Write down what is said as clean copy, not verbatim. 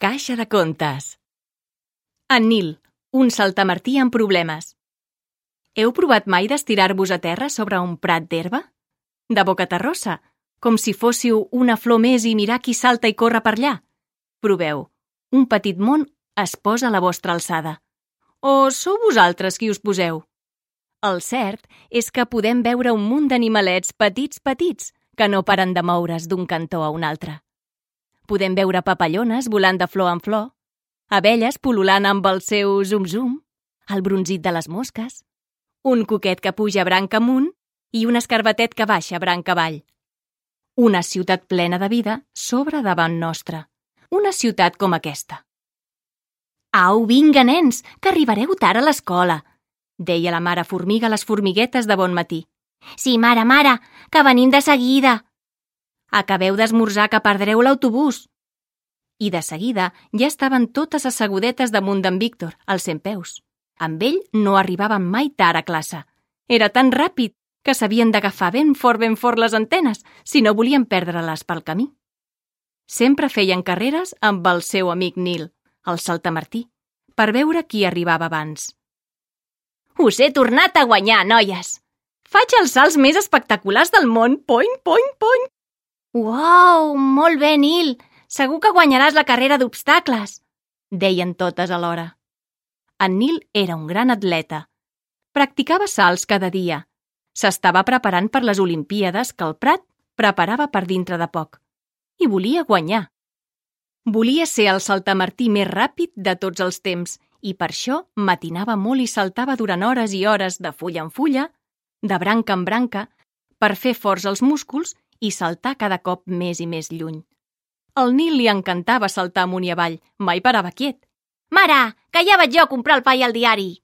Caixa de contes. En Nil, un saltamartí amb problemes. Heu provat mai d'estirar-vos a terra sobre un prat d'herba? De bocaterrosa, com si fóssiu una flor més i mirar qui salta i corre per allà? Proveu, un petit món es posa a la vostra alçada. O sou vosaltres qui us poseu? El cert és que podem veure un munt d'animalets petits que no paren de moure's d'un cantó a un altre. Podem veure papallones volant de flor en flor, abelles pul·lulant amb el seu zum-zum, el bronzit de les mosques, un cuquet que puja branca amunt i un escarbatet que baixa branca avall. Una ciutat plena de vida s'obre davant nostra. Una ciutat com aquesta. «Au, vinga, nens, que arribareu tard a l'escola», deia la mare formiga a les formiguetes de bon matí. «Sí, mare, que venim de seguida». «Acabeu d'esmorzar que perdreu l'autobús». I de seguida ja estaven totes assegudetes damunt d'en Víctor, als centpeus. Amb ell no arribaven mai tard a classe. Era tan ràpid que s'havien d'agafar ben fort les antenes si no volien perdre-les pel camí. Sempre feien carreres amb el seu amic Nil, el saltamartí, per veure qui arribava abans. «Us he tornat a guanyar, noies! Faig els salts més espectaculars del món! Poing, poing, poing!» «Uau, molt bé, Nil! Segur que guanyaràs la carrera d'obstacles!» deien totes alhora. En Nil era un gran atleta. Practicava salts cada dia. S'estava preparant per les Olimpíades que el Prat preparava per dintre de poc. I volia guanyar. Volia ser el saltamartí més ràpid de tots els temps i per això matinava molt i saltava durant hores i hores de fulla en fulla, de branca en branca, per fer forts els músculs i saltar cada cop més i més lluny. Al Nil li encantava saltar amunt i avall, mai parava quiet. «Mare, que ja vaig jo a comprar el pa i el diari!»